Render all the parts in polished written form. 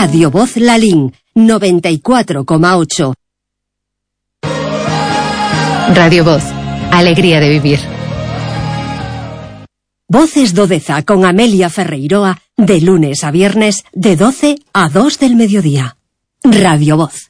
Radio Voz Lalín, 94,8. Radio Voz, alegría de vivir. Voces do Deza con Amelia Ferreiroa, de lunes a viernes, de 12 a 2 del mediodía. Radio Voz.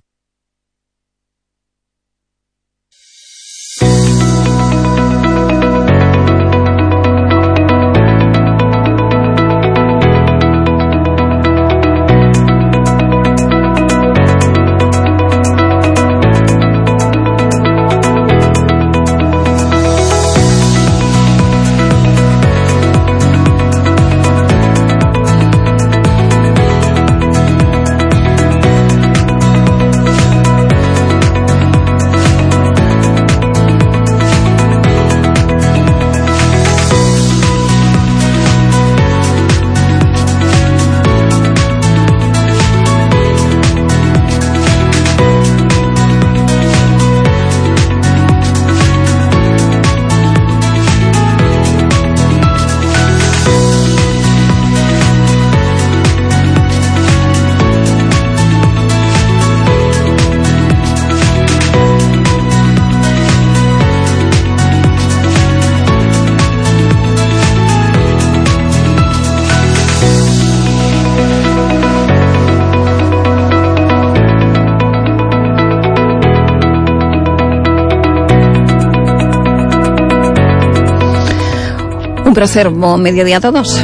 Un placer, bo mediodía a todos.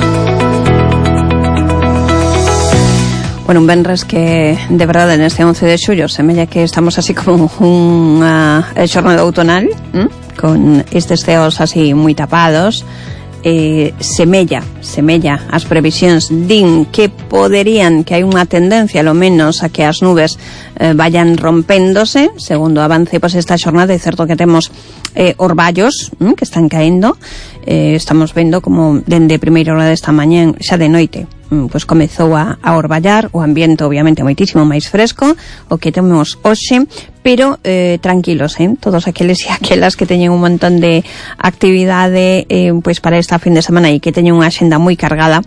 Bueno, un venres que, de verdade, neste 11 de xullo semella que estamos así como unha xornada outonal, con estes ceos así moi tapados. Semella as previsións din que poderían, que hai unha tendencia lo menos a que as nubes vayan rompéndose segundo avance pois esta xornada. É certo que temos orballos que están caendo. Estamos vendo como dende primeira hora desta mañá, xa de noite, pois comezou a orballar, o ambiente obviamente moitísimo máis fresco o que temos hoxe, pero tranquilos, todos aqueles e aquelas que teñen un montón de actividade pois para esta fin de semana e que teñen unha axenda moi cargada,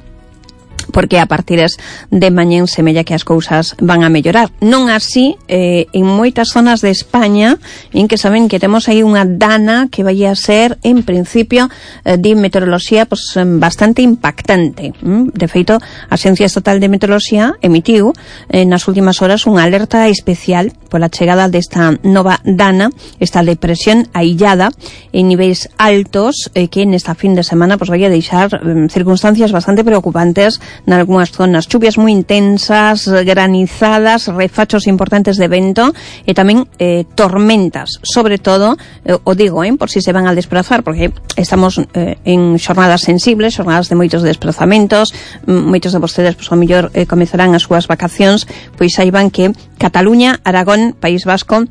porque a partir de mañén semella que as cousas van a mellorar. Non así en moitas zonas de España, en que saben que temos aí unha dana que vai a ser, en principio, de meteoroloxía pues, bastante impactante. De feito, a Axencia Estatal de Meteoroloxía emitiu nas últimas horas unha alerta especial pola chegada desta nova dana, esta depresión aillada en niveis altos que nesta fin de semana pues, vai a deixar circunstancias bastante preocupantes nalgúnas zonas, chuvias moi intensas, granizadas, refachos importantes de vento e tamén tormentas, sobre todo, o digo, por si se van a desplazar, porque estamos en xornadas sensibles, xornadas de moitos desplazamentos, moitos de vostedes, pois, ao mellor comezarán as súas vacacións, pois saiban que Cataluña, Aragón, País Vasco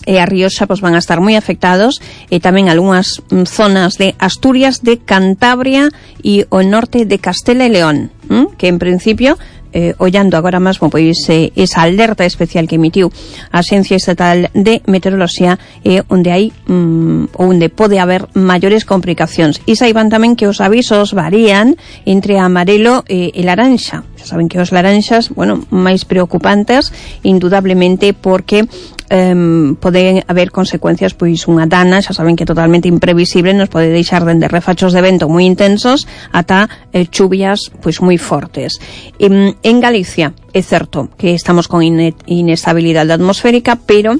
e a Rioxa pues, van a estar moi afectados, e tamén algunhas zonas de Asturias, de Cantabria e o norte de Castela e León, que en principio ollando agora mesmo pois esa alerta especial que emitiu a Axencia Estatal de Meteoroloxía onde hai onde pode haber maiores complicacións. E saiban tamén que os avisos varían entre amarelo e laranxa. Xa saben que os laranxas, bueno, máis preocupantes indudablemente porque poden haber consecuencias, pois unha dana, xa saben que totalmente imprevisible, nos pode deixar dende refachos de vento moi intensos ata chuvias pois moi fortes. En Galicia é certo que estamos con inestabilidade atmosférica, pero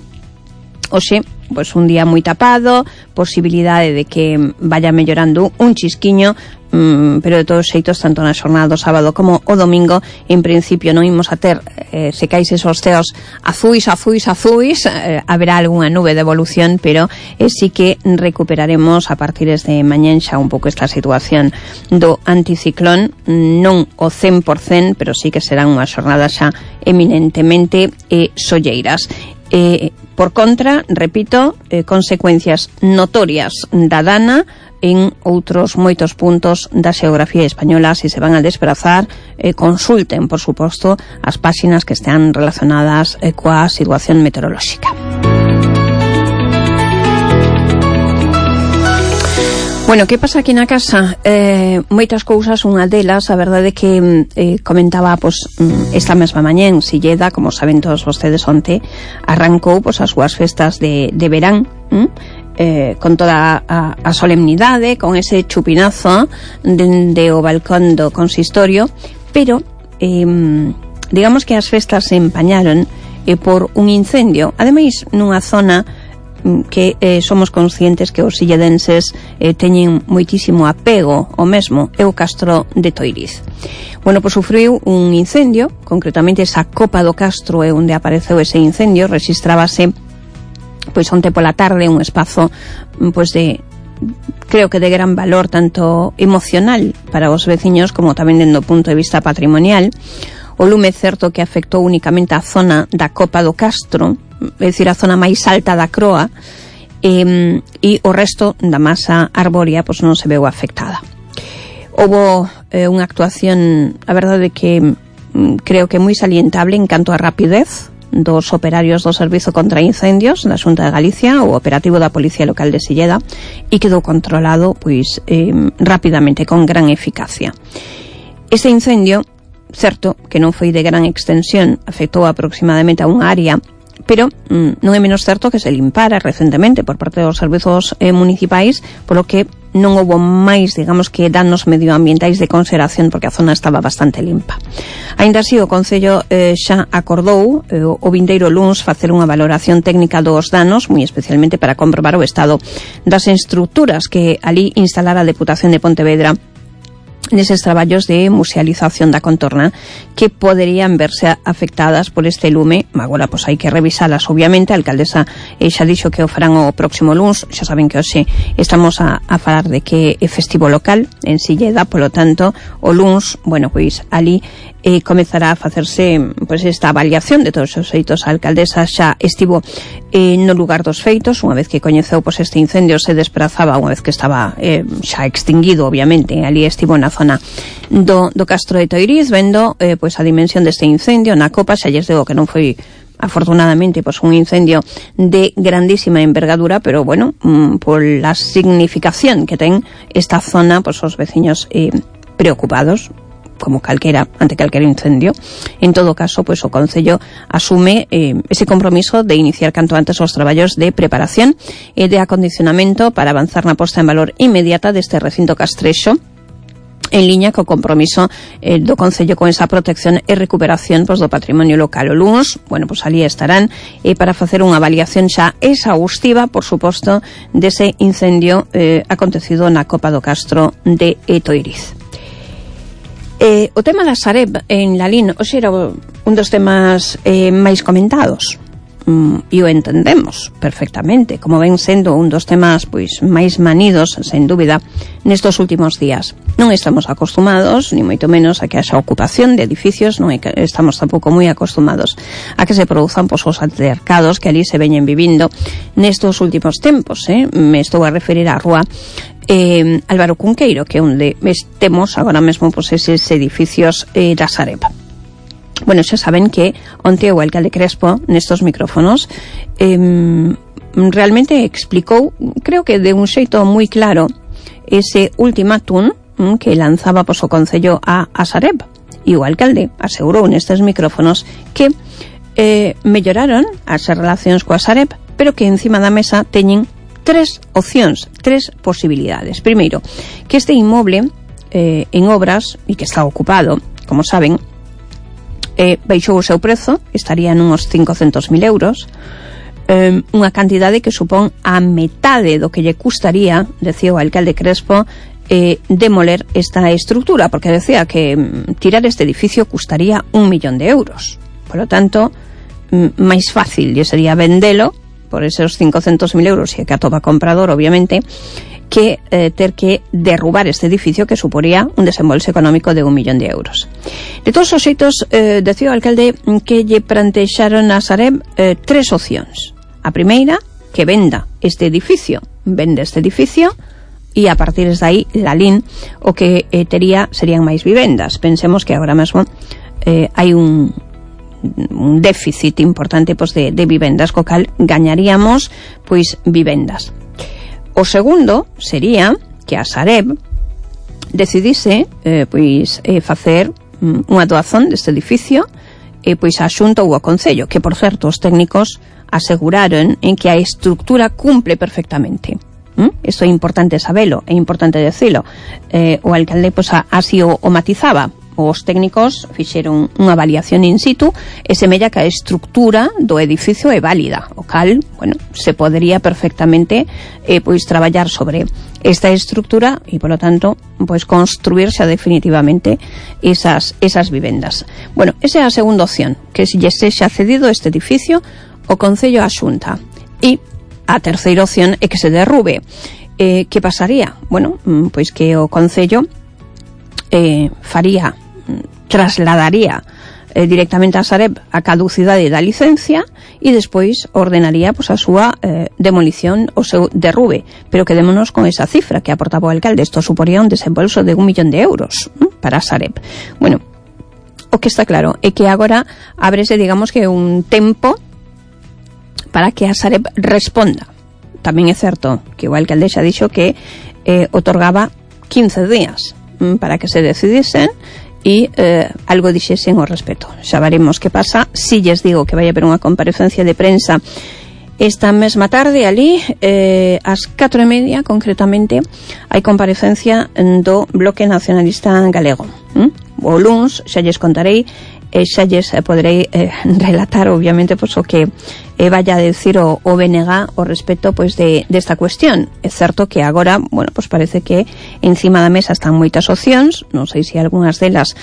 hoxe, pois un día moi tapado, posibilidade de que vaya mellorando un chisquiño, pero de todos xeitos, tanto na xornada do sábado como o domingo, en principio non imos a ter, se caís esos ceos azuis, haberá algunha nube de evolución, pero sí que recuperaremos a partir de mañán xa un pouco esta situación do anticiclón, non o 100%, pero sí que serán unha xornada xa eminentemente solleiras. Por contra, repito, consecuencias notorias da dana en outros moitos puntos da xeografía española. Se van a desplazar, consulten, por suposto, as páxinas que están relacionadas coa situación meteorolóxica. Bueno, que pasa aquí na casa? Moitas cousas, unha delas, a verdade que comentaba, esta mesma mañá en Silleda, como saben todos vostedes, onte arrancou, as súas festas de verán, con toda a solemnidade, con ese chupinazo dende o balcón do consistorio, pero digamos que as festas se empañaron por un incendio, ademais nunha zona que somos conscientes que os silledenses teñen moitísimo apego ao mesmo, é o Castro de Toiriz. Bueno, sufriu un incendio, concretamente esa copa do Castro é onde apareceu ese incendio, registrábase onte pola tarde, un espazo de, creo que de gran valor tanto emocional para os veciños como tamén dende o punto de vista patrimonial. O lume certo que afectou únicamente a zona da copa do Castro, é dicir, a zona máis alta da croa, e o resto da masa arbórea non se veu afectada. Houbo unha actuación, a verdade que creo que moi salientable en canto a rapidez dos operarios do Servizo contra Incendios da Xunta de Galicia, o operativo da Policía Local de Silleda, e quedou controlado rapidamente, con gran eficacia. Este incendio, certo que non foi de gran extensión, afectou aproximadamente a unha área, pero non é menos certo que se limpara recentemente por parte dos servizos municipais, polo que non houbo máis, digamos, que danos medioambientais de consideración, porque a zona estaba bastante limpa. Aínda así, o Concello xa acordou o vindeiro luns facer unha valoración técnica dos danos, moi especialmente para comprobar o estado das estruturas que ali instalara a Deputación de Pontevedra neses traballos de musealización da contorna que poderían verse afectadas por este lume. Agora, hai que revisalas, obviamente. A alcaldesa xa dixo que o farán o próximo luns. Xa saben que hoxe estamos a falar de que é festivo local en Silleda, polo tanto, o luns, ali comezará a facerse esta avaliación de todos os feitos. A alcaldesa xa estivo no lugar dos feitos, unha vez que coñeceu este incendio, se desplazaba, unha vez que estaba xa extinguido, obviamente, ali estivo na zona do Castro de Toiriz, vendo a dimensión deste incendio na copa. Xa lles digo que non foi afortunadamente un incendio de grandísima envergadura, pero por la significación que ten esta zona, os veciños preocupados como ante calquera incendio. En todo caso, o Concello asume ese compromiso de iniciar canto antes os traballos de preparación e de acondicionamento para avanzar na posta en valor inmediata deste recinto castrexo, en liña co compromiso do Concello con esa protección e recuperación do patrimonio local. O luns, ali estarán para facer unha avaliación xa exhaustiva, por suposto, dese incendio acontecido na Copa do Castro de Toiriz. O tema da Sareb en Lalín hoxe era un dos temas máis comentados, e o entendemos perfectamente, como ven sendo un dos temas máis manidos, sen dúbida, nestos últimos días. Non estamos acostumados, ni moito menos, a que haxa ocupación de edificios, non estamos tampouco moi acostumados a que se produzan os altercados que ali se veñen vivindo nestos últimos tempos. Me estou a referir á rúa Álvaro Cunqueiro, que é onde temos agora mesmo eses edificios da Sareb. Xa saben que onte o alcalde Crespo nestos micrófonos realmente explicou, creo que de un xeito moi claro, ese ultimátum que lanzaba o Concello a Sareb, e o alcalde asegurou nestes micrófonos que melloraron as relacións coa Sareb, pero que encima da mesa teñen tres opcións, tres posibilidades. Primeiro, que este inmoble en obras e que está ocupado, como saben, baixou o seu prezo, estaría nuns 500.000 euros, unha cantidade que supón a metade do que lle custaría, decía o alcalde Crespo, demoler esta estructura, porque decía que tirar este edificio custaría 1 millón de euros. Por lo tanto, máis fácil lle sería vendelo por esos 500.000 euros, e que atopa comprador, obviamente, que ter que derrubar este edificio que suporía un desembolso económico de 1 millón de euros. De todos os xeitos, decía o alcalde que lle plantexaron a Sareb tres opcións. A primeira, que venda este edificio. Vende este edificio e a partir de aí, Lalín, o que tería serían máis vivendas. Pensemos que agora mesmo hai un déficit importante de vivendas, co cal gañaríamos vivendas. O segundo sería que a Sareb decidise facer unha doazón deste edificio pois a Xunta ou ao Concello, que por certo os técnicos aseguraron en que a estructura cumple perfectamente. Isto é importante sabelo, é importante decilo. O alcalde pois así o matizaba. Os técnicos fixeron unha avaliación in situ e semella que a estructura do edificio é válida, o cal, bueno, se podería perfectamente pois traballar sobre esta estructura e, polo tanto, pois construirse definitivamente esas vivendas. Bueno, esa é a segunda opción, que se lle sexa cedido este edificio o Concello á Xunta. E a terceira opción é que se derrube. Que pasaría? Bueno, pois que o Concello trasladaría directamente a Sareb a caducidade da licencia e despois ordenaría pois a súa demolición, o seu derrube. Pero quedémonos con esa cifra que aportaba o alcalde. Isto suporía un desembolso de 1 millón de euros para Sareb. Bueno, o que está claro é que agora ábrese, digamos que un tempo para que a Sareb responda. Tamén é certo que o alcalde xa dixo que otorgaba 15 días para que se decidisen e algo dixesen ao respecto. Xa veremos que pasa. Si lles digo que vai haber unha comparecencia de prensa esta mesma tarde ali, ás 4:30 concretamente, hai comparecencia do Bloque Nacionalista Galego. O luns xa lles contarei e xa lles poderei relatar obviamente pois o que vaya a decir o BNG ao respecto pois desta cuestión. É certo que agora, bueno, pois parece que encima da mesa están moitas opcións, non sei se algunhas delas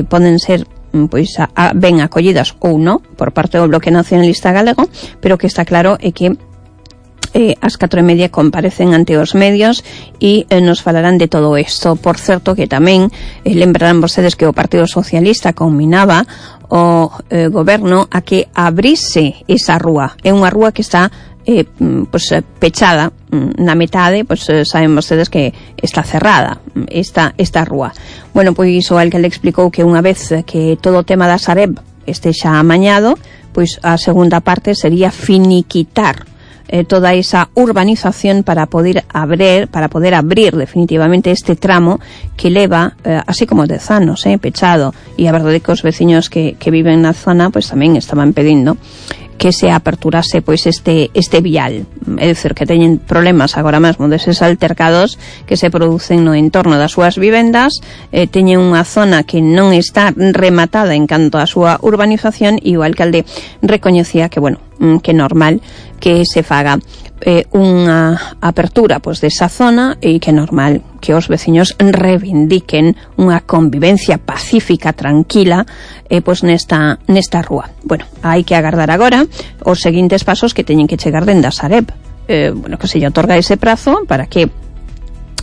poden ser pois ben acollidas ou non por parte do Bloque Nacionalista Galego, pero que está claro é que ás 4:30 comparecen ante os medios e nos falarán de todo isto. Por certo que tamén lembrarán vostedes que o Partido Socialista combinaba o goberno a que abrise esa rúa. É unha rúa que está pechada na metade, saben vostedes que está cerrada esta rúa. Bueno, pois o alcalde explicou que unha vez que todo o tema da Sareb este xa amañado, pois a segunda parte sería finiquitar toda esa urbanización para poder abrir definitivamente este tramo que leva así como 10 anos pechado, e a verdade é que os veciños que viven na zona pois tamén estaban pedindo que se aperturase pois este vial. É dicir, que teñen problemas agora mesmo deses altercados que se producen no entorno das súas vivendas, teñen unha zona que non está rematada en canto a súa urbanización, e o alcalde recoñecía que, bueno, que normal que se faga unha apertura pois desa zona, e que normal que os veciños reivindiquen unha convivencia pacífica, tranquila, pois nesta rúa. Bueno, hai que agardar agora os seguintes pasos que teñen que chegar dende a Sareb. Bueno, que se lle otorga ese prazo para que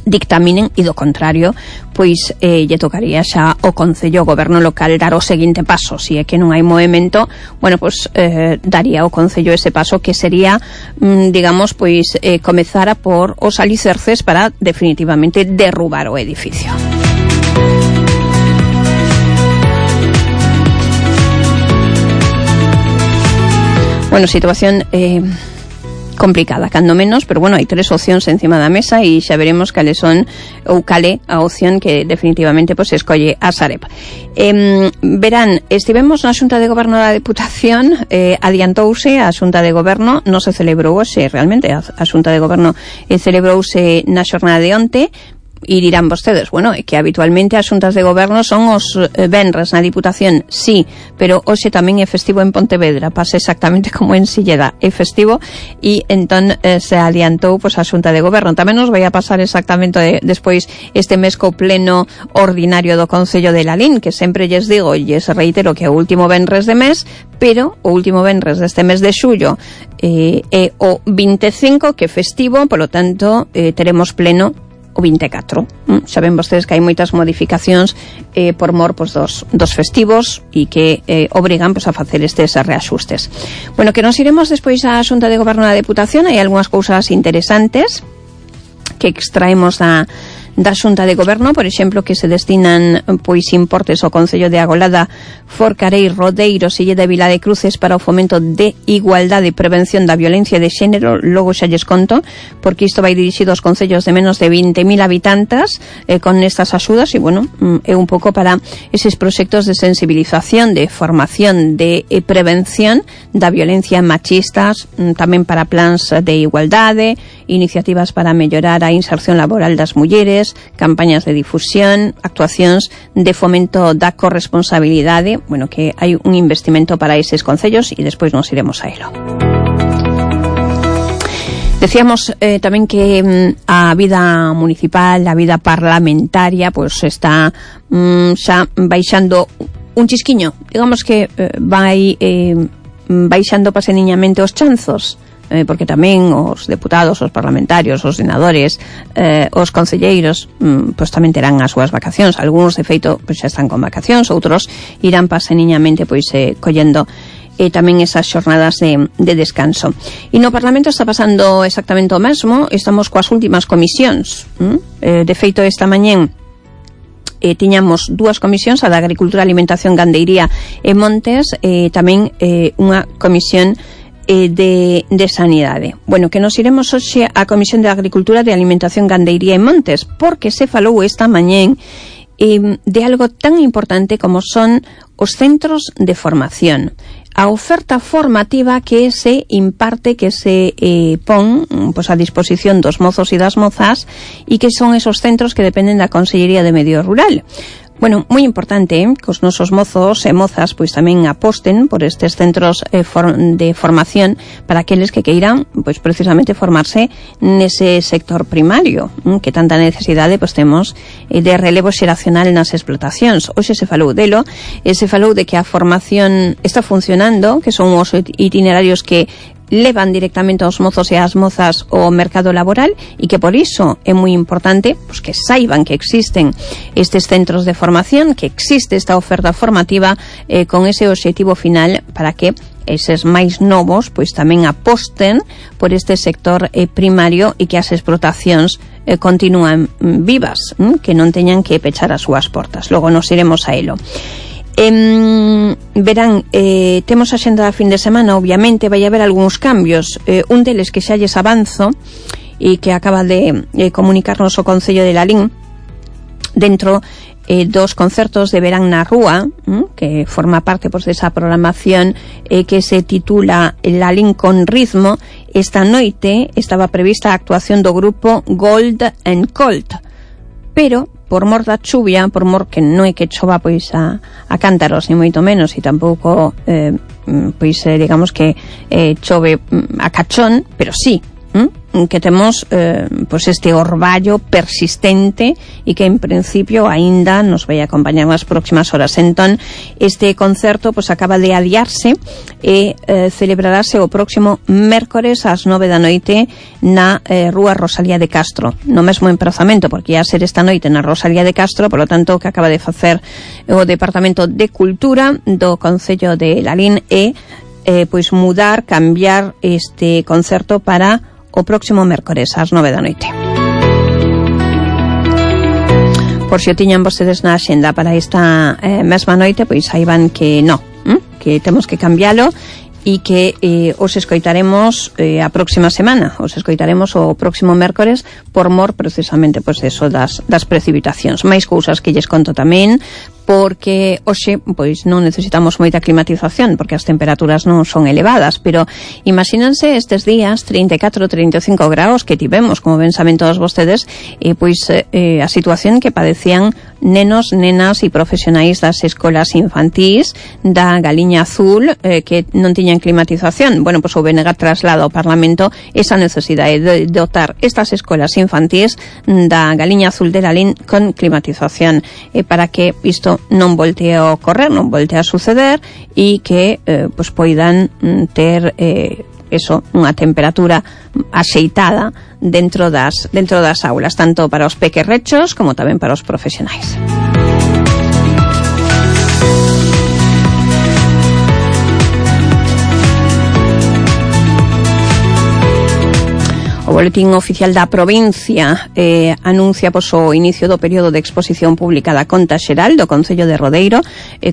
dictaminen, e do contrario pois lle tocaría xa o Concello, o Goberno local, dar o seguinte paso. Si é que non hai movimento, bueno, pois daría o Concello ese paso, que sería digamos, pois comezara por os alicerces para definitivamente derrubar o edificio. Bueno, situación complicada, cando menos, pero bueno, hai 3 opcións encima da mesa e xa veremos cales son ou cale a opción que definitivamente pois escolle a Sareb. Verán, estivemos na Xunta de Goberno da Deputación, adiantouse a Xunta de Goberno, non se celebrou hoxe realmente, a Xunta de Goberno celebrouse na xornada de onte. E dirán vostedes, bueno, que habitualmente as xuntas de goberno son os venres na Diputación, sí, pero hoxe tamén é festivo en Pontevedra, pasa exactamente como en Silleda, é festivo, e entón se adiantou pois a xunta de goberno. Tamén nos vai a pasar exactamente despois este mes co pleno ordinario do Concello de Lalín, que sempre lles digo e lles reitero que é o último venres de mes, pero o último venres deste mes de xullo é o 25, que é festivo, polo tanto teremos pleno o 24. Saben vostedes que hai moitas modificacións por mor pois, dos festivos, e que obrigan pois, a facer estes reaxustes. Bueno, que nos iremos despois á Xunta de Goberno da Deputación. Hai algunhas cousas interesantes que extraemos da da Xunta de Goberno, por exemplo, que se destinan pois importes ao Concello de Agolada, Forcarei, Rodeiros e de Vila de Cruces para o fomento de igualdade e prevención da violencia de xénero. Logo xa lles conto, porque isto vai dirixido aos concellos de menos de 20.000 habitantes con estas axudas e, bueno, é un pouco para eses proxectos de sensibilización, de formación, de prevención da violencia machistas, tamén para plans de igualdade, iniciativas para mellorar a inserción laboral das mulleres, campañas de difusión, actuacións de fomento da corresponsabilidade, bueno, que hai un investimento para eses concellos e despois nos iremos a elo. Decíamos tamén que a vida municipal, a vida parlamentaria, pues está xa baixando un chisquiño, digamos que vai baixando paseniñamente os chanzos, porque tamén os deputados, os parlamentarios, os senadores, os concelleiros, pois tamén terán as súas vacacións. Algúns, de feito, pois xa están con vacacións, outros irán paseniñamente pois collendo tamén esas xornadas de descanso. E no Parlamento está pasando exactamente o mesmo. Estamos coas últimas comisións. De feito, esta mañén tiñamos dúas comisións, a da Agricultura, Alimentación, Gandeiría e Montes, tamén unha comisión de sanidade. Bueno, que nos iremos hoxe á Comisión de Agricultura, de Alimentación, Gandeiría e Montes, porque se falou esta mañén de algo tan importante como son os centros de formación, a oferta formativa que se imparte, que se pon pues, a disposición dos mozos e das mozas, e que son esos centros que dependen da Consellería de Medio Rural. Bueno, moi importante que os nosos mozos e mozas pois tamén aposten por estes centros de formación para aqueles que queiran pois precisamente formarse nese sector primario, que tanta necesidade pois temos de relevo xeracional nas explotacións. Hoxe se falou delo, se falou de que a formación está funcionando, que son os itinerarios que levan directamente aos mozos e ás mozas ao mercado laboral, e que por iso é moi importante pues, que saiban que existen estes centros de formación, que existe esta oferta formativa con ese obxectivo final para que eses máis novos pois tamén aposten por este sector primario e que as explotacións continúan vivas, que non teñan que pechar as súas portas. Logo nos iremos a elo. Verán, temos a xenda da fin de semana, obviamente vai haber algúns cambios, un deles que xa lles avanzo e que acaba de comunicarnos o Concello de Lalín dentro dos concertos de verán na rúa, que forma parte pois, desa programación que se titula Lalín con ritmo. Esta noite estaba prevista a actuación do grupo Gold and Colt, pero por mor da chuvia, por mor que non é que chova pois a cántaros, ni moito menos, e tampouco pois digamos que chove a cachón, pero sí que temos pois este orballo persistente e que en principio aínda nos vai acompañar nas próximas horas. Entón, este concerto pois acaba de adiarse e celebrarase o próximo mércores ás 9 da noite na Rúa Rosalía de Castro, no mesmo emprazamento, porque ia ser esta noite na Rosalía de Castro, polo tanto, o que acaba de facer o Departamento de Cultura do Concello de Lalín é pois mudar, cambiar este concerto para o próximo mércores ás 9 da noite. Por se o tiñan vostedes na axenda para esta mesma noite, pois aí van que no, que temos que cambialo e que os escoitaremos a próxima semana, os escoitaremos o próximo mércores por mor precisamente pois eso das precipitacións. Máis cousas que lles conto tamén, porque hoxe pois non necesitamos moita climatización porque as temperaturas non son elevadas, pero imagínense estes días 34-35 graus que tivemos, como ben saben todos vostedes, pois a situación que padecían nenos, nenas e profesionais das escolas infantís da Galiña Azul que non tiñan climatización. Bueno, pois o BNG traslada ao Parlamento esa necesidade de dotar estas escolas infantís da Galiña Azul de Lalín con climatización para que isto non volte a ocorrer, non volte a suceder e que pois poidan ter eso, unha temperatura axeitada dentro das aulas, tanto para os pequerrechos como tamén para os profesionais. boletín oficial da provincia anuncia pois, o inicio do período de exposición pública da conta xeral do Concello de Rodeiro,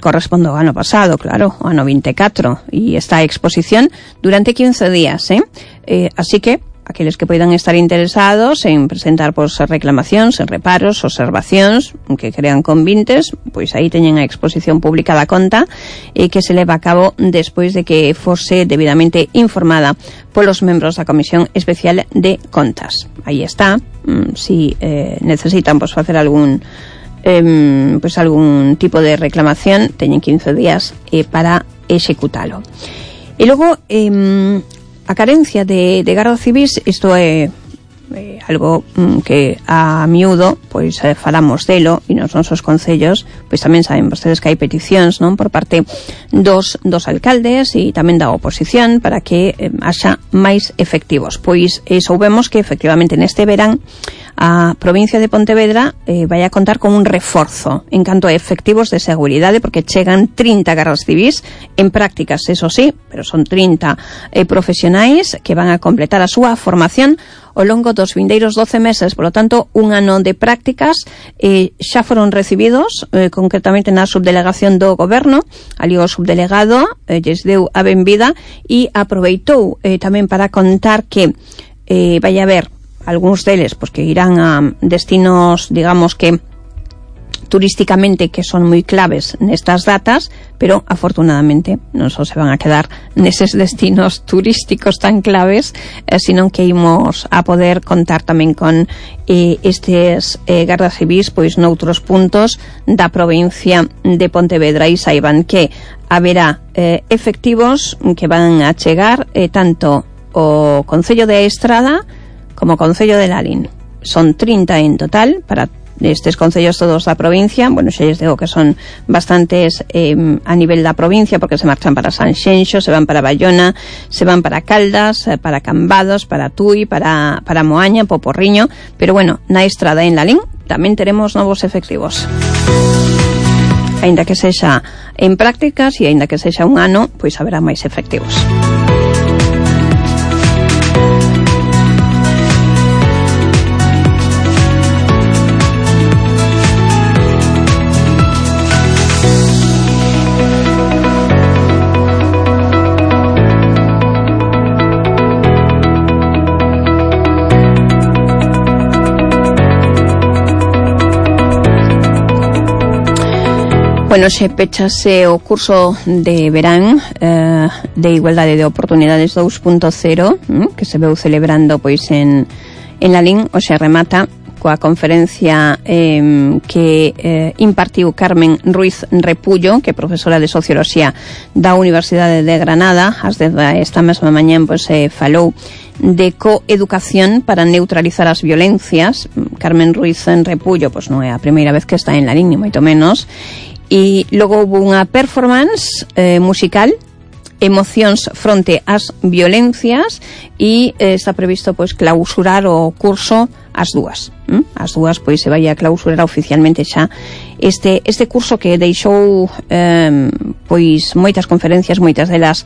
corresponde ao ano pasado, claro, ao ano 24, e esta exposición durante 15 días, así que aqueles que poidan estar interesados en presentar pois, reclamacións, reparos, observacións que crean convintes, pois aí teñen a exposición pública da conta que se leva a cabo despois de que fose debidamente informada polos membros da Comisión Especial de Contas. Aí está, si necesitan pois, facer algún tipo de reclamación, teñen 15 días para executalo. E logo a carencia de gardas civís, isto é algo que a miúdo pois falamos delo, e nos nosos concellos pois tamén saben vostedes que hai peticións, non, por parte dos alcaldes e tamén da oposición para que haxa máis efectivos. Pois soubemos que efectivamente neste verán a provincia de Pontevedra vai a contar con un reforzo en canto a efectivos de seguridade, porque chegan 30 gardas civís en prácticas, eso sí, pero son 30 profesionais que van a completar a súa formación ao longo dos vindeiros 12 meses, por lo tanto, un ano de prácticas xa foron recibidos, concretamente na subdelegación do goberno, ali o subdelegado lles deu a benvida e aproveitou tamén para contar que vai haber algúns deles pois, que irán a destinos, digamos que turísticamente que son moi claves nestas datas, pero afortunadamente non só se van a quedar neses destinos turísticos tan claves, sino que imos a poder contar tamén con estes gardas civís pois noutros puntos da provincia de Pontevedra, e saiban que haberá efectivos que van a chegar tanto o Concello de Estrada como Concello de Lalín. Son 30 en total para estes concellos todos da provincia. Bueno, xa lles digo que son bastantes a nivel da provincia, porque se marchan para Sanxenxo, se van para Bayona, se van para Caldas, para Cambados, para Tui, para Moaña, Poporriño, pero bueno, na Estrada en Lalín tamén teremos novos efectivos. Aínda que sexa en prácticas e aínda que sexa un ano, pois haberá máis efectivos. Bueno, se pechase o curso de verán de Igualdade de Oportunidades 2.0 que se veu celebrando pois en Lalín, o se remata coa conferencia que impartiu Carmen Ruiz Repullo, que é profesora de Socioloxía da Universidade de Granada. Esta mesma mañán pois, falou de coeducación para neutralizar as violencias. Carmen Ruiz Repullo pois, non é a primeira vez que está en Lalín, ni moito menos. E logo houve unha performance musical, Emocións fronte ás violencias, e está previsto pois clausurar o curso as dúas. As dúas pois se vai a clausurar oficialmente xa este curso que deixou pois moitas conferencias, moitas delas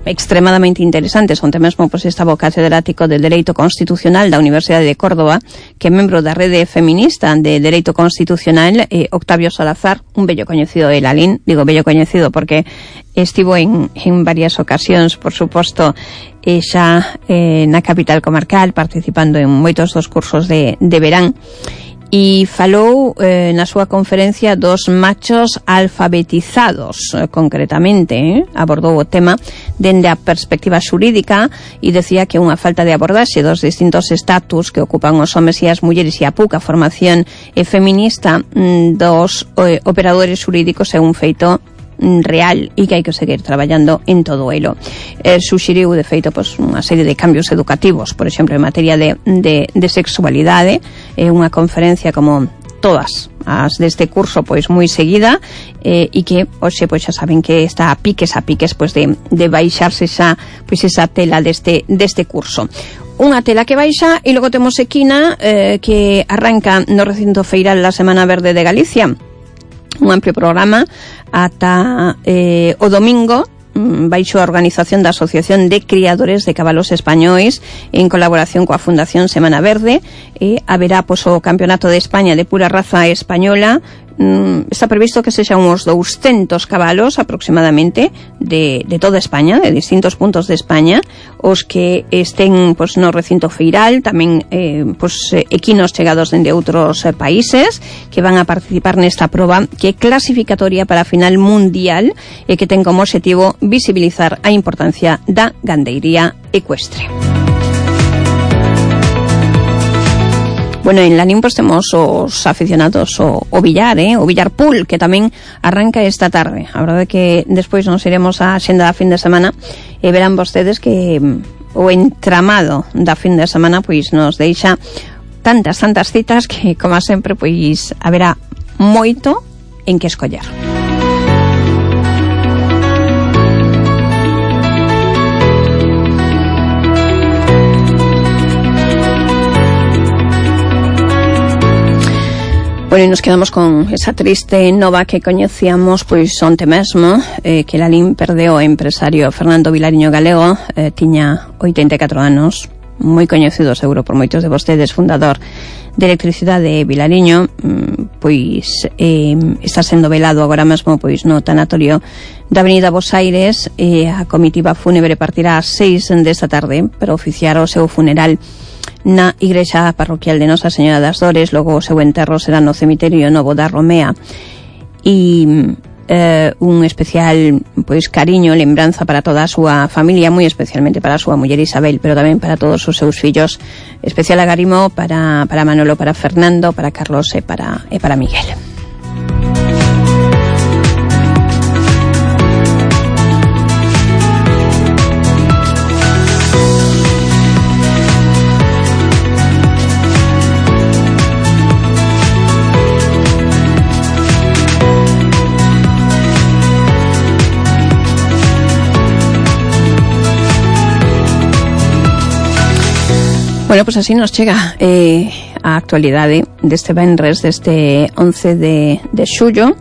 extremadamente interesantes. Onte mesmo pois estaba o catedrático de Dereito Constitucional da Universidade de Córdoba, que é membro da Rede Feminista de Dereito Constitucional, Octavio Salazar, un bello coñecido de Lalín. Digo bello coñecido porque estivo en varias ocasións, por suposto, xa na capital comarcal, participando en moitos dos cursos de verán. E falou na súa conferencia dos machos alfabetizados, concretamente, abordou o tema dende a perspectiva xurídica e decía que unha falta de abordaxe dos distintos estatus que ocupan os homes e as mulleres e a pouca formación feminista dos operadores xurídicos é un feito real e que hai que seguir traballando en todo elo. Suxeriu, de feito, pois, unha serie de cambios educativos, por exemplo, en materia de sexualidade. É unha conferencia como todas as deste curso, pois moi seguida, e que hoxe pois xa saben que está a piques pois de baixarse xa pois esa tela deste curso. Unha tela que baixa, e logo temos Equina, que arranca no recinto feiral da Semana Verde de Galicia, un amplio programa ata o domingo, baixo a organización da Asociación de Criadores de Cabalos Españois en colaboración coa Fundación Semana Verde. Haberá o Campeonato de España de pura raza española. Está previsto que sexan uns 200 cabalos aproximadamente de toda España, de distintos puntos de España, os que estén no recinto feiral, tamén equinos chegados dende outros países que van a participar nesta proba que é clasificatoria para a final mundial e que ten como objetivo visibilizar a importancia da gandeiría ecuestre. Bueno, en Lanín temos os aficionados o billar, o billar pool, que tamén arranca esta tarde. A verdade é que despois nos iremos á xenda da fin de semana e verán vostedes que o entramado da fin de semana nos deixa tantas citas que, como sempre, haberá moito en que escoller. Bueno, e nos quedamos con esa triste nova que coñecíamos onte mesmo, que Lalín perdeu o empresario Fernando Vilariño Galego. Tiña 84 anos, moi coñecido seguro por moitos de vostedes, fundador de Electricidade Vilariño. Está sendo velado agora mesmo no tanatorio da Avenida Bos Aires. A comitiva fúnebre partirá ás 6 desta tarde para oficiar o seu funeral na igrexa parroquial de Nosa Señora das Dores. Logo o seu enterro será no cemiterio novo da Romea. E un especial cariño, lembranza para toda a súa familia, moi especialmente para a súa muller Isabel, pero tamén para todos os seus fillos. Especial agarimo para Manolo, para Fernando, para Carlos e para Miguel. Bueno, así nos chega a actualidade deste venres, deste 11 de xullo,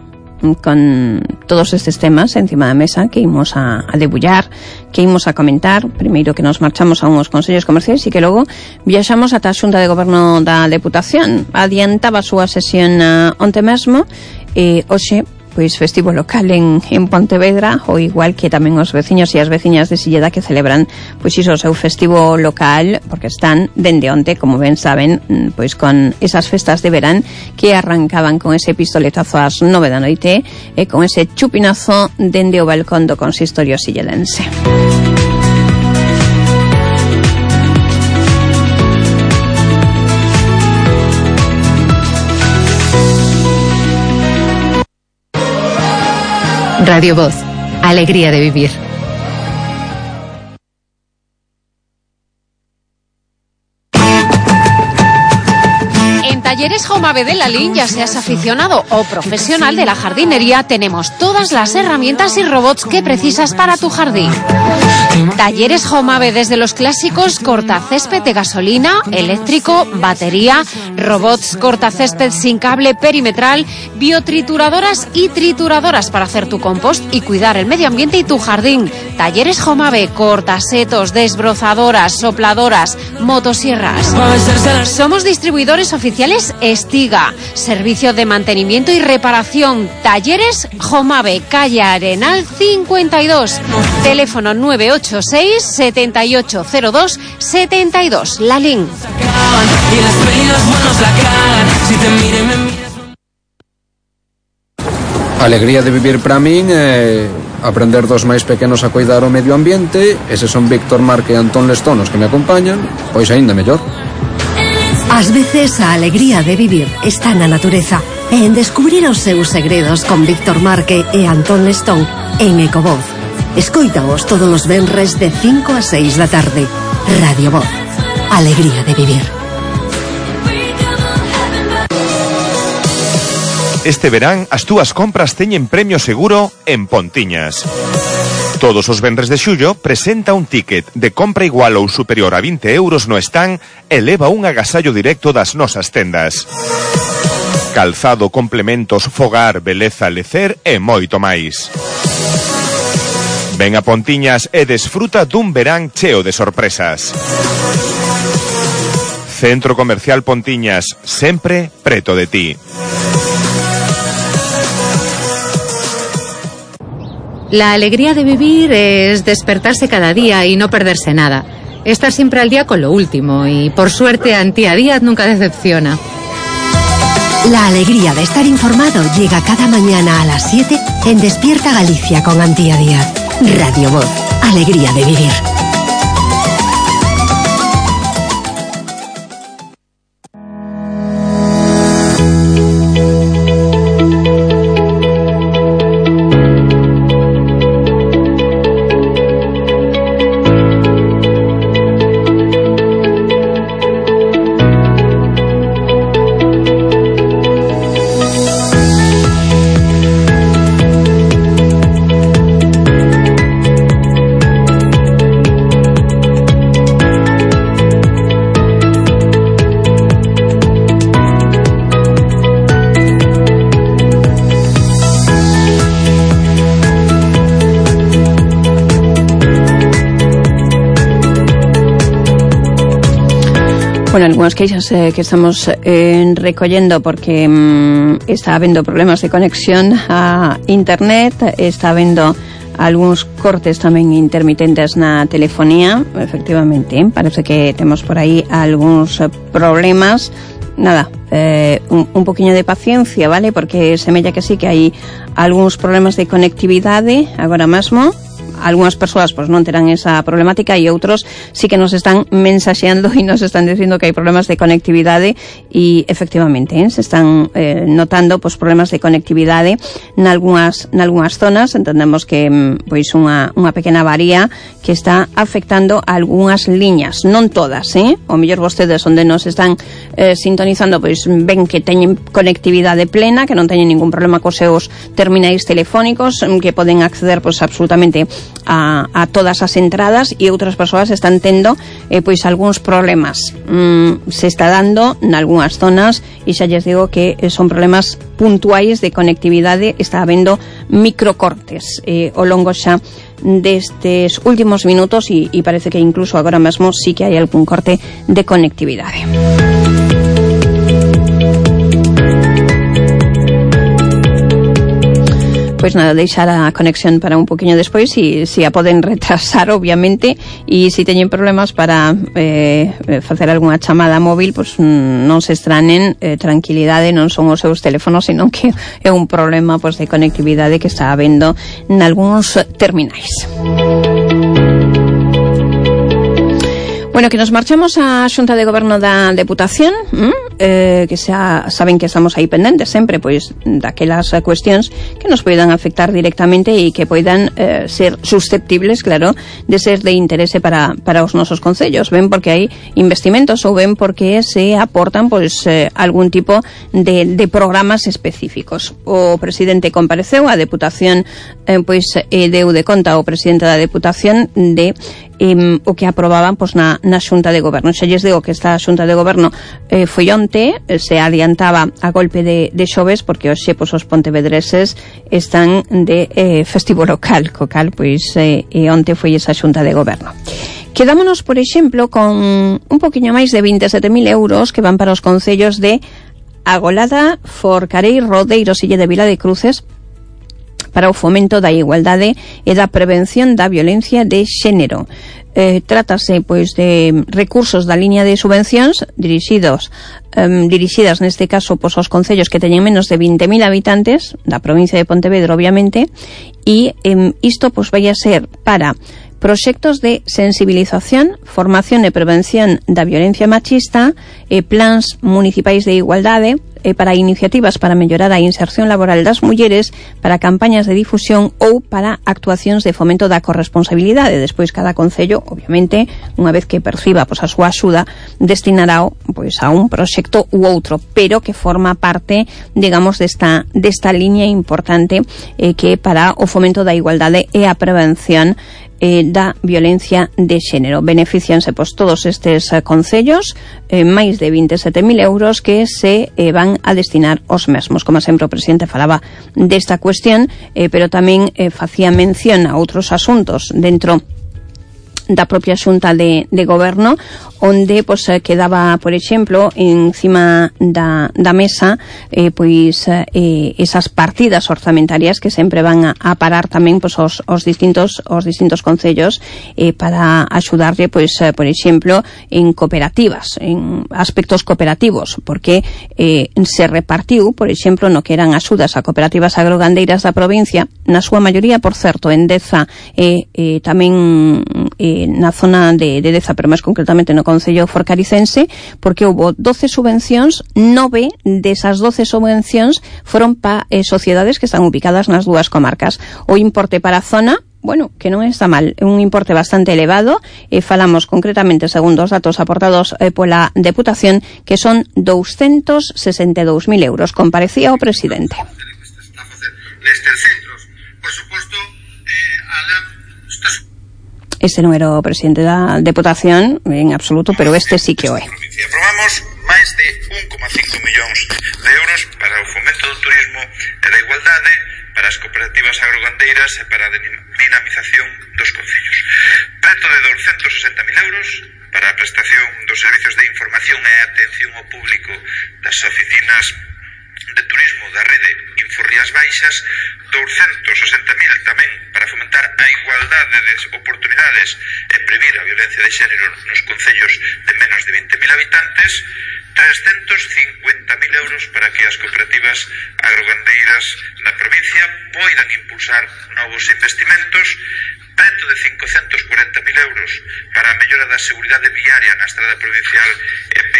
con todos estes temas encima da mesa que imos a debullar, que imos a comentar. Primeiro que nos marchamos a uns consellos comerciais e que logo viaxamos ata a Xunta de Goberno da Deputación. Adiantaba a súa sesión onte mesmo e hoxe festivo local en Pontevedra, ou igual que tamén os veciños e as veciñas de Silleda que celebran o seu festivo local, porque están dende onte, como ben saben, con esas festas de verán que arrancaban con ese pistoletazo ás 9 da noite e con ese chupinazo dende o balcón do consistorio silledense. Radio Voz, alegría de vivir. En Talleres Jomave de Lalín, ya seas aficionado o profesional de la jardinería, tenemos todas las herramientas y robots que precisas para tu jardín. Talleres Jomave, desde los clásicos cortacésped de gasolina, eléctrico, batería, robots cortacésped sin cable perimetral, biotrituradoras y trituradoras para hacer tu compost y cuidar el medio ambiente y tu jardín. Talleres Jomave, cortasetos, desbrozadoras, sopladoras, motosierras. Somos distribuidores oficiales Estiga, servicio de mantenimiento y reparación. Talleres Jomave, calle Arenal 52, teléfono 986 7802 72, Lalín. Alegría de vivir para min é aprender dos máis pequenos a cuidar o medio ambiente. Eses son Víctor Marque e Antón Lestón os que me acompañan, pois aínda mellor. Ás veces a alegría de vivir está na natureza e en descubrir os seus segredos con Víctor Marque e Antón Lestón en Ecovoz. Escoítaos todos os venres de 5 a 6 da tarde. Radio Voz, alegría de vivir. Este verán as túas compras teñen premio seguro en Pontiñas. Todos os venres de xullo presenta un ticket de compra igual ou superior a 20 euros no stand e leva un agasallo directo das nosas tendas. Calzado, complementos, fogar, beleza, lecer e moito máis. Ven a Pontiñas e desfruta dun verán cheo de sorpresas. Centro Comercial Pontiñas, sempre preto de ti. La alegría de vivir es despertarse cada día y no perderse nada. Estar siempre al día con lo último y, por suerte, Antía Díaz nunca decepciona. La alegría de estar informado llega cada mañana a las 7 en Despierta Galicia con Antía Díaz. Radio Voz, alegría de vivir. Bueno, algunhas queixas que estamos recollendo porque está habendo problemas de conexión a internet, está habendo algúns cortes tamén intermitentes na telefonía, efectivamente, parece que temos por aí algúns problemas. Nada, un poquinho de paciencia, vale? Porque semella que sí que hai algúns problemas de conectividade agora mesmo. Algunhas persoas pues non terán esa problemática e outros sí que nos están mensaxeando e nos están dicindo que hai problemas de conectividade e efectivamente se están notando pues problemas de conectividade nalgúnas zonas. Entendemos que pois unha pequena avaría que está afectando algunhas liñas, non todas, o mellor vostedes onde nos están sintonizando pois ven que teñen conectividade plena, que non teñen ningún problema cos seus terminais telefónicos, que poden acceder pois absolutamente a todas as entradas, e outras persoas están tendo pois algúns problemas. Se está dando nalgúnas zonas e xa lles digo que son problemas puntuais de conectividade, está habendo microcortes ao longo xa destes últimos minutos e parece que incluso agora mesmo sí que hai algún corte de conectividade. Pois nada, deixar a conexión para un poquinho despois e se a poden retrasar, obviamente, e se teñen problemas para facer algunha chamada móvil, pois non se estranen, tranquilidade, non son os seus teléfonos, senón que é un problema pois de conectividade que está habendo nalgúns terminais. Bueno, que nos marchamos á Xunta de Goberno da Deputación, que xa saben que estamos aí pendentes sempre pois daquelas cuestións que nos poidan afectar directamente e que poidan ser susceptibles, claro, de ser de interese para os nosos concellos, ben porque hai investimentos ou ben porque se aportan pois algún tipo de programas específicos. O presidente compareceu, a Deputación pois deu de conta o presidente da Deputación de o que aprobaban pois na Xunta de Goberno. Xa lles digo que esta Xunta de Goberno foi onte, se adiantaba a golpe de xoves porque hoxe pois os pontevedreses están de festivo local, co cal pois onte foi esa Xunta de Goberno. Quedámonos, por exemplo, con un poquinho máis de 27.000 euros que van para os concellos de Agolada, Forcarei, Rodeiros e de Vila de Cruces para o fomento da igualdade e da prevención da violencia de xénero. Trátase pois de recursos da liña de subvencións dirixidas neste caso pois aos concellos que teñen menos de 20.000 habitantes da provincia de Pontevedra, obviamente, e isto pois vai a ser para proxectos de sensibilización, formación e prevención da violencia machista, plans municipais de igualdade, para iniciativas para mellorar a inserción laboral das mulleres, para campañas de difusión ou para actuacións de fomento da corresponsabilidade. Despois cada concello, obviamente, unha vez que perciba pois a súa axuda, destinará pois a un proxecto u outro, pero que forma parte, digamos, desta liña importante que para o fomento da igualdade e a prevención da violencia de xénero. Beneficianse todos estes concellos, máis de 27.000 euros que se van a destinar aos mesmos. Como sempre, o presidente falaba desta cuestión, pero tamén facía mención a outros asuntos dentro da propia Xunta de Goberno, onde quedaba, por exemplo, encima da mesa esas partidas orzamentarias que sempre van a parar tamén os distintos concellos para axudarlle, por exemplo, en cooperativas, en aspectos cooperativos, porque se repartiu, por exemplo, no que eran axudas a cooperativas agrogandeiras da provincia, na súa maioría, por certo, en Deza tamén na zona de Deza, pero máis concretamente no concello forcaricense, porque houve 12 subvencións, 9 desas 12 subvencións foron para sociedades que están ubicadas nas dúas comarcas. O importe para a zona, bueno, que non está mal, é un importe bastante elevado, falamos concretamente, segundo os datos aportados pola Deputación, que son 262.000 euros. Comparecía o presidente. Nestes centros, por suposto, Este non era o presidente da Deputación en absoluto, pero este sí que o é. Aprobamos máis de 1,5 millóns de euros para o fomento do turismo e da igualdade, para as cooperativas agrogandeiras e para a dinamización dos concellos. Preto de 260.000 euros para a prestación dos servicios de información e atención ao público das oficinas de turismo da rede Inforrías Baixas, 260.000 tamén para fomentar a igualdade de oportunidades e previr a violencia de xénero nos concellos de menos de 20.000 habitantes, 350.000 euros para que as cooperativas agrogandeiras da provincia poidan impulsar novos investimentos, preto de 540.000 euros para a mellora da seguridade viaria na estrada provincial EP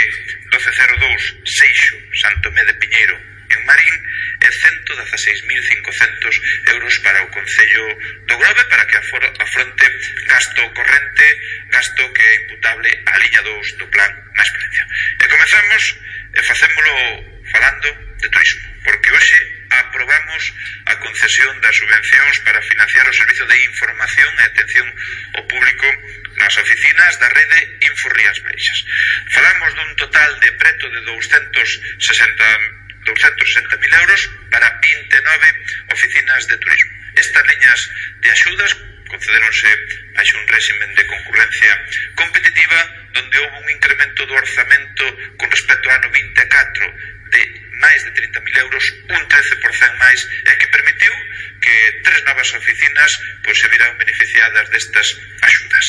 1202 Seixo-Santomé de Piñeiro en Marín, e 116.500 euros para o Concello do Grove para que afronte gasto corrente, gasto que é imputable á liña 2 do plan máis Valencia. E comezamos e facémolo falando de turismo, porque hoxe aprobamos a concesión das subvencións para financiar o servizo de información e atención ao público nas oficinas da rede Inforrías Baixas. Falamos dun total de preto de 260.000 euros para 29 oficinas de turismo. Estas liñas de axudas concederonse baixo un réximen de concurrencia competitiva donde houve un incremento do orzamento con respecto ao ano 24 de máis de 30.000 euros, un 13% máis, e que permitiu que 3 novas oficinas se viran beneficiadas destas axudas.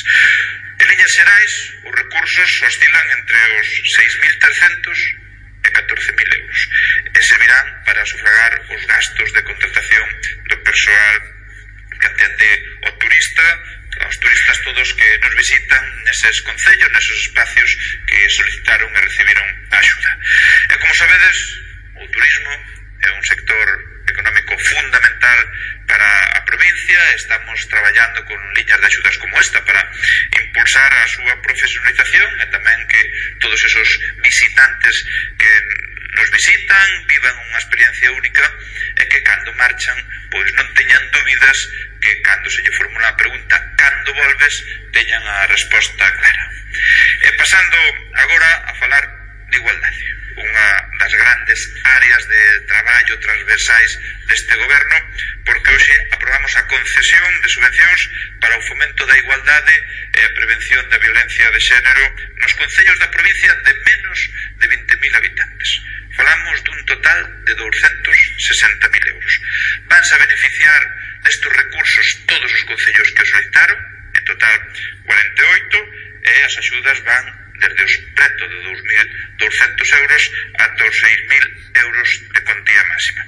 En liñas xerais, os recursos oscilan entre os 6.300 e 14.000 euros e servirán para sufragar os gastos de contratación do persoal que atende ao turista, aos turistas todos que nos visitan neses concellos, neses espacios que solicitaron e recibiron a axuda. E como sabedes, o turismo é un sector económico fundamental para a provincia. Estamos traballando con liñas de axudas como esta para impulsar a súa profesionalización e tamén que todos esos visitantes que nos visitan vivan unha experiencia única e que cando marchan non teñan dúbidas, que cando se lle formula a pregunta cando volves teñan a resposta clara. E pasando agora a falar de igualdade, unha das grandes áreas de traballo transversais deste goberno, porque hoxe aprobamos a concesión de subvencións para o fomento da igualdade e a prevención da violencia de xénero nos concellos da provincia de menos de 20.000 habitantes. Falamos dun total de 260.000 euros. Vanse a beneficiar destes recursos todos os concellos que o solicitaron, en total 48, e as axudas van desde os preto de 2.200 euros ata os 6.000 euros de contía máxima.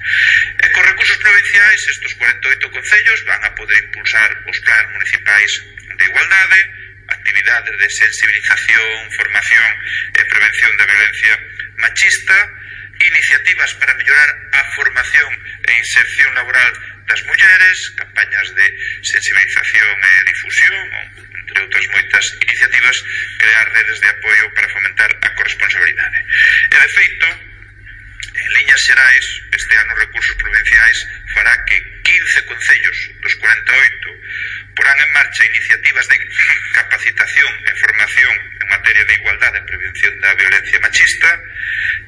E con recursos provinciais, estes 48 concellos van a poder impulsar os plans municipais de igualdade, actividades de sensibilización, formación e prevención da violencia machista, iniciativas para mellorar a formación e inserción laboral das mulleres, campañas de sensibilización e difusión, entre outras moitas iniciativas, crear redes de apoio para fomentar a corresponsabilidade. E, de feito, en liñas xerais, este ano recursos provinciais fará que 15 concellos dos 48 porán en marcha iniciativas de capacitación e formación en materia de igualdade e prevención da violencia machista.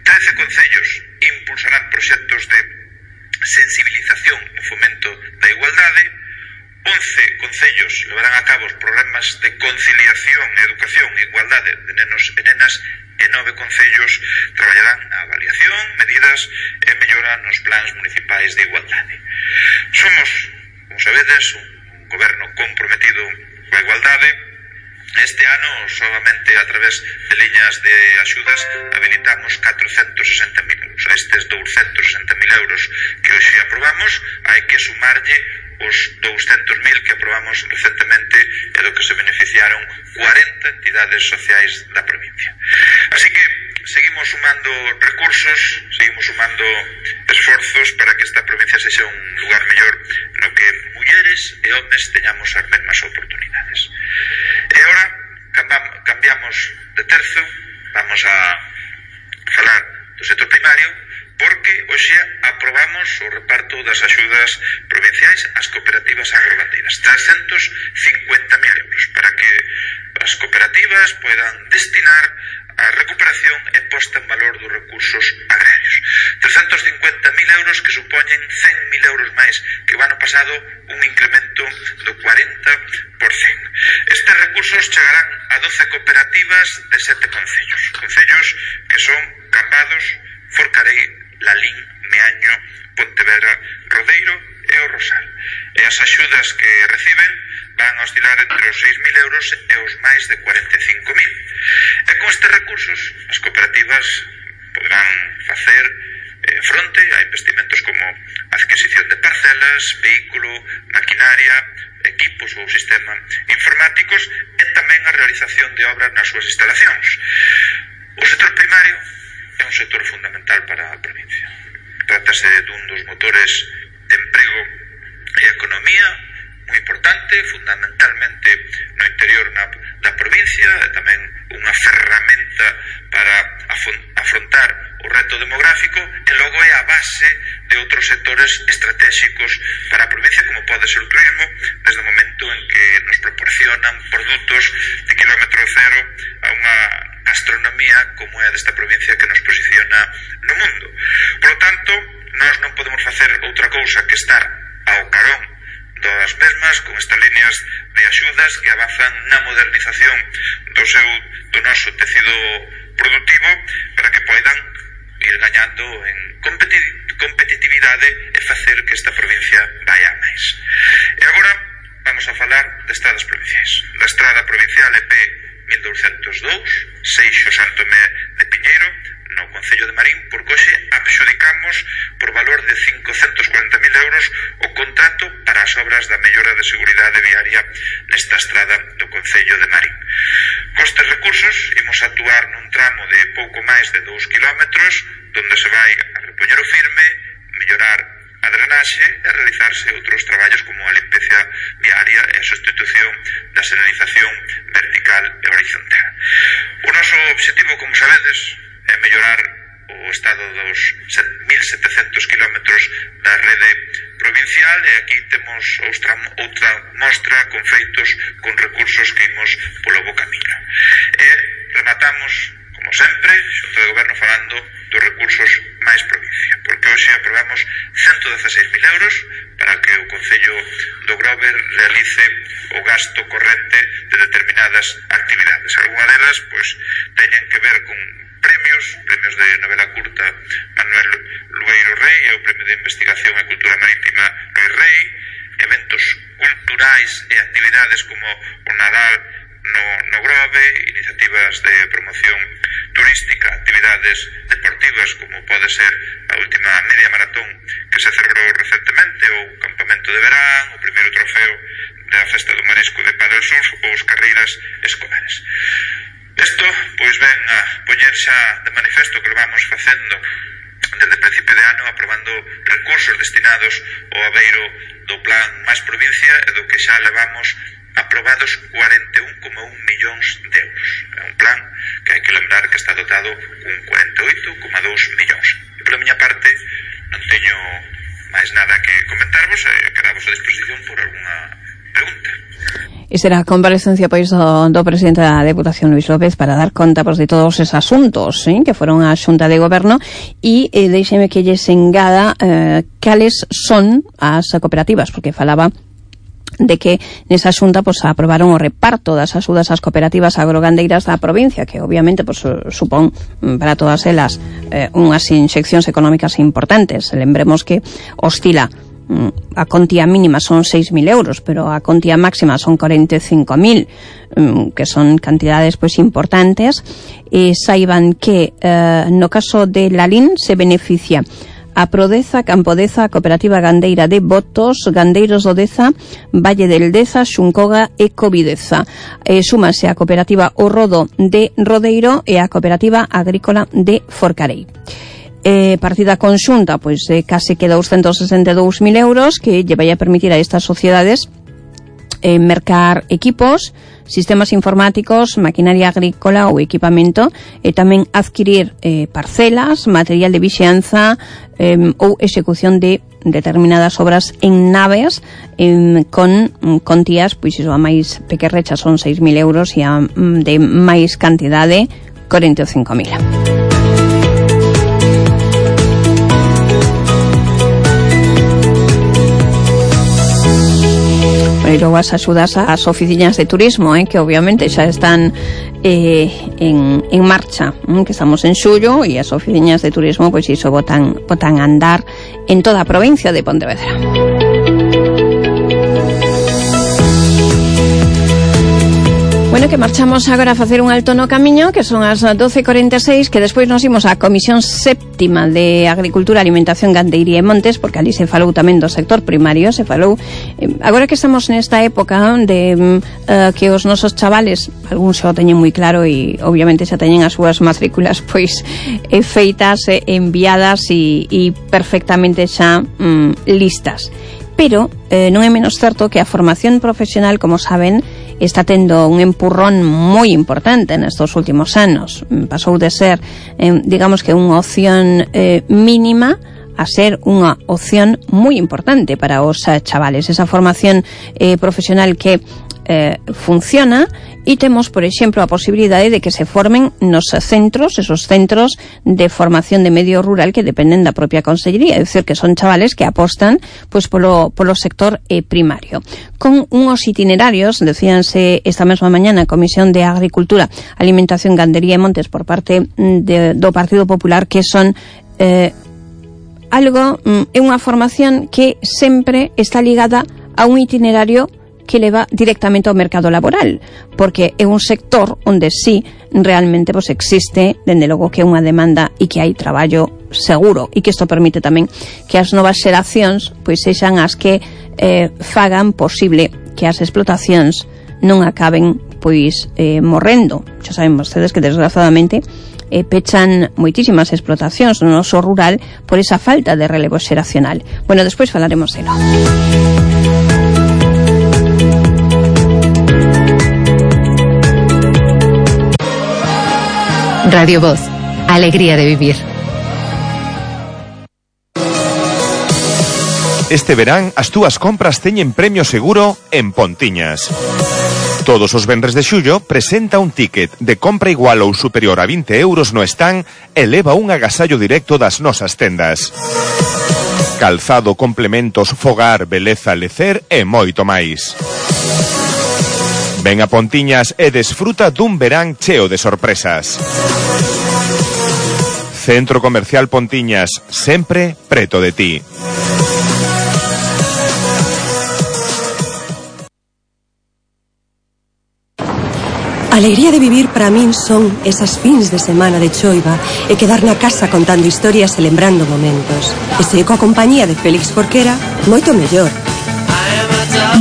13 concellos impulsarán proxectos de sensibilización e fomento da igualdade. 11 concellos levarán a cabo os programas de conciliación e educación e igualdade de nenos e nenas, e 9 concellos traballarán na avaliación, medidas e mellora nos plans municipais de igualdade. Somos, como sabedes, un goberno comprometido coa igualdade. Este ano, solamente a través de liñas de axudas, habilitamos 460.000 euros. A estes 260.000 euros que hoxe aprobamos, hai que sumarlle os 200.000 que aprobamos recentemente e do que se beneficiaron 40 entidades sociais da provincia. Así que seguimos sumando recursos, seguimos sumando esforzos para que esta provincia sexa un lugar mellor no que mulleres e homes teñamos as mesmas oportunidades. E agora cambiamos de terzo, vamos a falar do sector primario, porque hoxe aprobamos o reparto das axudas provinciais ás cooperativas agrogandeiras, 350.000 euros, para que as cooperativas poidan destinar a recuperación e posta en valor dos recursos agrarios. 350.000 euros que supoñen 100.000 euros máis que o ano pasado, un incremento do 40%. Estes recursos chegarán a 12 cooperativas de 7 concellos que son Cambados, Forcarei, Lalín, Meaño, Pontevedra, Rodeiro e o Rosal. E as axudas que reciben van a oscilar entre os 6.000 euros e os máis de 45.000. E con estes recursos as cooperativas poderán facer fronte a investimentos como adquisición de parcelas, vehículo, maquinaria, equipos ou sistema informáticos e tamén a realización de obras nas súas instalacións. O sector primario é un sector fundamental para a provincia. Trátase dun dos motores de emprego e economía moi importante, fundamentalmente no interior da provincia, e tamén unha ferramenta para afrontar o reto demográfico, e logo é a base de outros sectores estratégicos para a provincia, como pode ser o turismo, desde o momento en que nos proporcionan produtos de kilómetro cero a unha gastronomía como é a desta provincia que nos posiciona no mundo. Por lo tanto, nós non podemos facer outra cousa que estar ao carón das mesmas con estas líneas de axudas que avanzan na modernización do noso tecido productivo para que poidan ir gañando en competitividade e facer que esta provincia vaya a máis. E agora vamos a falar de estradas provinciais. Da estrada provincial EP 1202, Seixo Santo Tomé de Piñeiro, no concello de Marín, porque hoxe adxudicamos por valor de 540.000 euros o contrato para as obras da mellora de seguridade viaria nesta estrada do concello de Marín. Costes recursos, imos actuar nun tramo de pouco máis de 2 kilómetros, donde se vai a repoñer o firme, mellorar a drenaxe e realizarse outros traballos como a limpeza viaria e a sustitución da señalización vertical e horizontal. O noso objetivo, como sabedes, é mellorar o estado dos 1.700 kilómetros da rede provincial, e aquí temos outra mostra con feitos con recursos que imos polo bo camiño. E rematamos, como sempre, xunto de goberno falando dos recursos máis provincia, porque hoxe aprobamos 116.000 euros para que o Concello do Grove realice o gasto corrente de determinadas actividades. Algunha delas, pois, teñen que ver con premios de novela curta Manuel Lueiro Rei e o Premio de Investigación e Cultura Marítima Luis Rei, eventos culturais e actividades como o Nadal no Grove, iniciativas de promoción turística, actividades deportivas como pode ser a última media maratón que se celebrou recentemente, ou o campamento de verán, o primeiro trofeo da Festa do Marisco de Padel Surf ou as carreiras escolares. Isto, pois, ven a poñer xa de manifesto que lo vamos facendo desde o principio de ano, aprobando recursos destinados ao aveiro do plan máis provincia e do que xa levamos aprobados 41,1 millóns de euros. É un plan que hai que lembrar que está dotado con 48,2 millóns. E pola miña parte non teño máis nada que comentarvos, quedamos a disposición por algunha Pregunta. E será a comparecencia pois do presidente da Deputación, Luís López, para dar conta pois de todos esos asuntos que foron a Xunta de Goberno. E deixeme que lles engada cales son as cooperativas, porque falaba de que nesa xunta pois aprobaron o reparto das axudas ás cooperativas agrogandeiras da provincia, que obviamente pois supón para todas elas unhas inxeccións económicas importantes. Lembremos que oscila, a contía mínima son 6.000 euros, pero a contía máxima son 45.000, que son cantidades pois importantes. E saiban que no caso de Lalín se beneficia a Prodeza, Campodeza, a Cooperativa Gandeira de Botos, Gandeiros do Deza, Valle del Deza, Xuncoga e Covideza. Súmase a Cooperativa O Rodo de Rodeiro e a Cooperativa Agrícola de Forcarei. Partida conxunta, pois case que 262.000 euros, que lle vai a permitir a estas sociedades mercar equipos, sistemas informáticos, maquinaria agrícola ou equipamento, e tamén adquirir parcelas, material de vixianza ou execución de determinadas obras en naves con contías, pois iso a máis pequerrechas son 6.000 euros e a de máis cantidade 45.000. E logo as axudas ás oficinas de turismo, que obviamente xa están en marcha, que estamos en xullo, e as oficinas de turismo pois iso botan a andar en toda a provincia de Pontevedra. Bueno, que marchamos agora a facer un alto no camiño, que son as 12:46, que despois nos imos á Comisión Séptima de Agricultura, Alimentación, Gandeiría e Montes, porque ali se falou tamén do sector primario, se falou agora que estamos nesta época de que os nosos chavales, algúns xa o teñen moi claro e obviamente xa teñen as súas matrículas pois feitas, enviadas e perfectamente xa listas. Pero non é menos certo que a formación profesional, como saben, está tendo un empurrón moi importante nestos últimos anos. Pasou de ser, digamos que unha opción mínima a ser unha opción moi importante para os chavales. Esa formación profesional que funciona, e temos, por exemplo, a posibilidade de que se formen nos centros, esos centros de formación de medio rural que dependen da propia Consellería, é dicir, que son chavales que apostan pois polo sector primario. Con unhos itinerarios, decíanse esta mesma mañá na Comisión de Agricultura, Alimentación, Gandería e Montes por parte do Partido Popular, que son é unha formación que sempre está ligada a un itinerario que leva directamente ao mercado laboral, porque é un sector onde sí realmente pois existe, dende logo, que é unha demanda e que hai traballo seguro, e que isto permite tamén que as novas xeracións pois sexan as que fagan posible que as explotacións non acaben pois morrendo. Xa saben vostedes que desgraciadamente pechan moitísimas explotacións no noso rural por esa falta de relevo xeracional. Bueno, despois falaremos delo. Radio Voz, alegría de vivir. Este verán as túas compras teñen premio seguro en Pontiñas. Todos os venres de xullo presenta un ticket de compra igual ou superior a 20 euros no stand e leva un agasallo directo das nosas tendas. Calzado, complementos, fogar, beleza, lecer e moito máis. Ven a Pontiñas e desfruta dun verán cheo de sorpresas. Centro Comercial Pontiñas, sempre preto de ti. Alegría de vivir para min son esas fins de semana de choiva e quedar na casa contando historias e lembrando momentos. E se coa compañía de Félix Jorquera, moito mellor.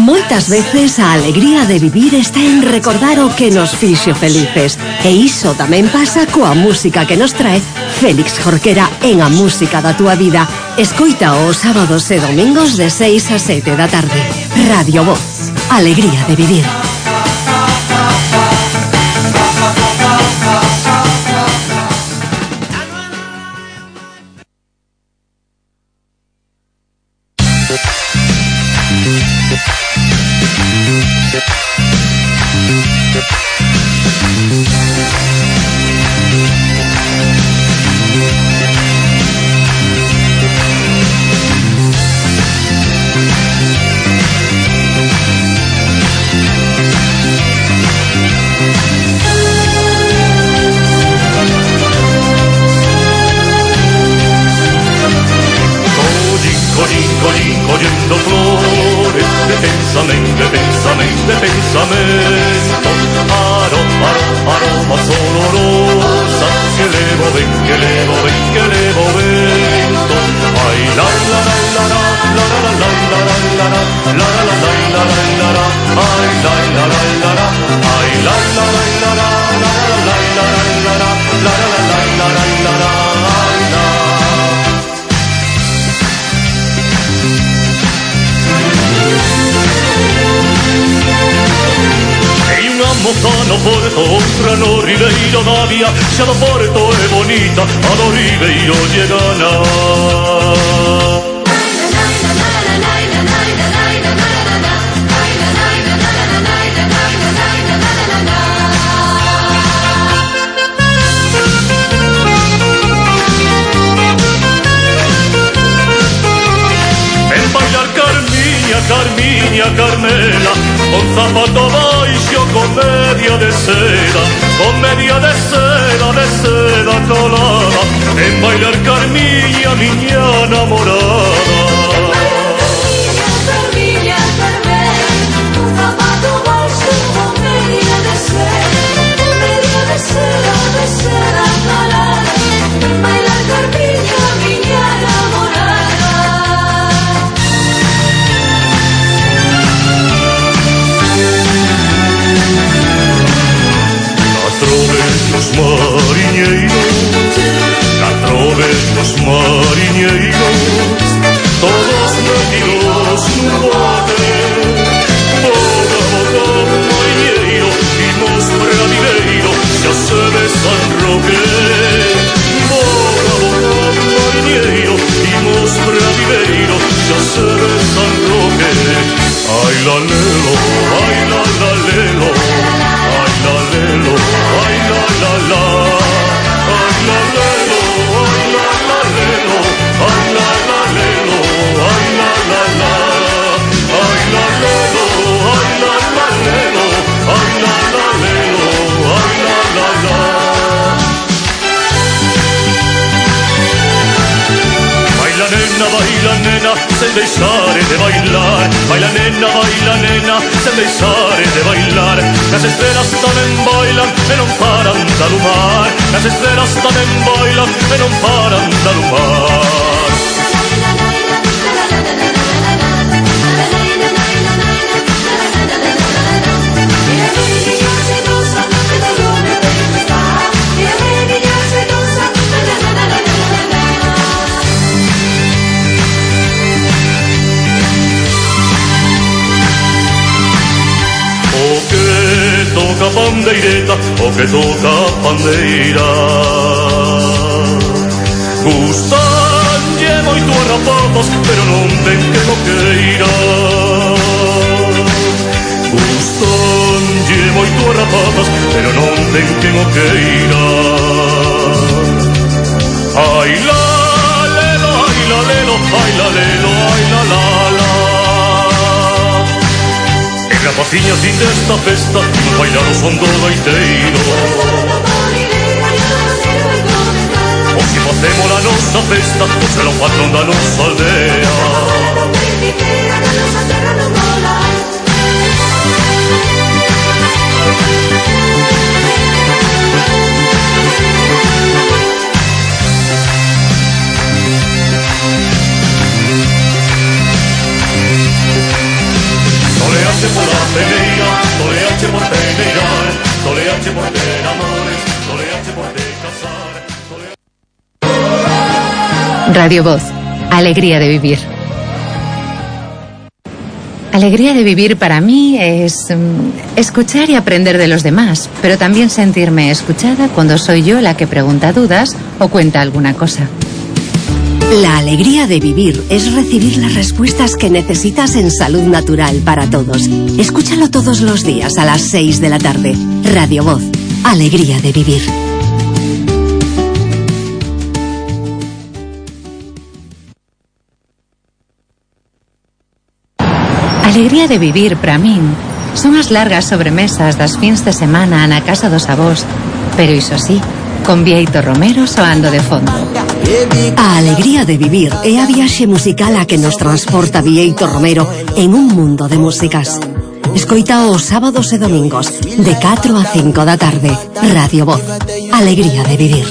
Moitas veces a alegría de vivir está en recordar o que nos fixo felices. E iso tamén pasa coa música que nos trae Félix Jorquera en A Música da Túa Vida. Escoita os sábados e domingos de 6 a 7 da tarde. Radio Voz, alegría de vivir. moza no porto, outra no Ribeiro da Vía, xa do porto é bonita, a do Ribeiro lle gana. Carmiña, Carmela, con zapato baixo, con media de seda colada, en bailar Carmiña, miña namorada. Carmiña, Carmela, con zapato baixo, con media de seda colada, en bailar Carmiña, miña namorada. Los mariñeiros, todos metidos nun bote, boga, mariñeiro, imos brasileiro, xa se ve San Roque. Boga, mariñeiro, imos brasileiro, xa se ve San Roque. Ai la lelo, ai la lelo, ai la lelo, ai la la. Baila nena, sen deixar de bailar. Baila nena, sen deixar de bailar. As estrelas tamén bailan e non paran de alumar. As estrelas tamén bailan e non paran de alumar. Toca pandeireta, o que toca pandeira. Gustanlle moito a rapazas, pero non ten que no queira. Gustanlle moito a rapazas, pero non ten que no queira. Ai la lelo, ai la lelo, ai la lelo, ai la la la. Rapaciñas din desta festa, bailar o son do gaiteiro. O si facemos a nosa festa, será o patrón da nosa aldea. Toleache por la peneira, toleache por peneirar, toleache por ter amores, toleache por te casar. Radio Voz, alegría de vivir. Alegría de vivir para mí es escuchar y aprender de los demás, pero también sentirme escuchada cuando soy yo la que pregunta dudas o cuenta alguna cosa. La alegría de vivir es recibir las respuestas que necesitas en salud natural para todos. Escúchalo todos los días a las 6 de la tarde. Radio Voz, alegría de vivir. Alegría de vivir para min son as largas sobremesas das fins de semana na casa dos avós, pero iso sí, con Bieito Romero soando de fondo. A alegría de vivir é a viaxe musical a que nos transporta Bieito Romero en un mundo de músicas. Escoita os sábados e domingos de 4 a 5 da tarde. Radio Voz, alegría de vivir.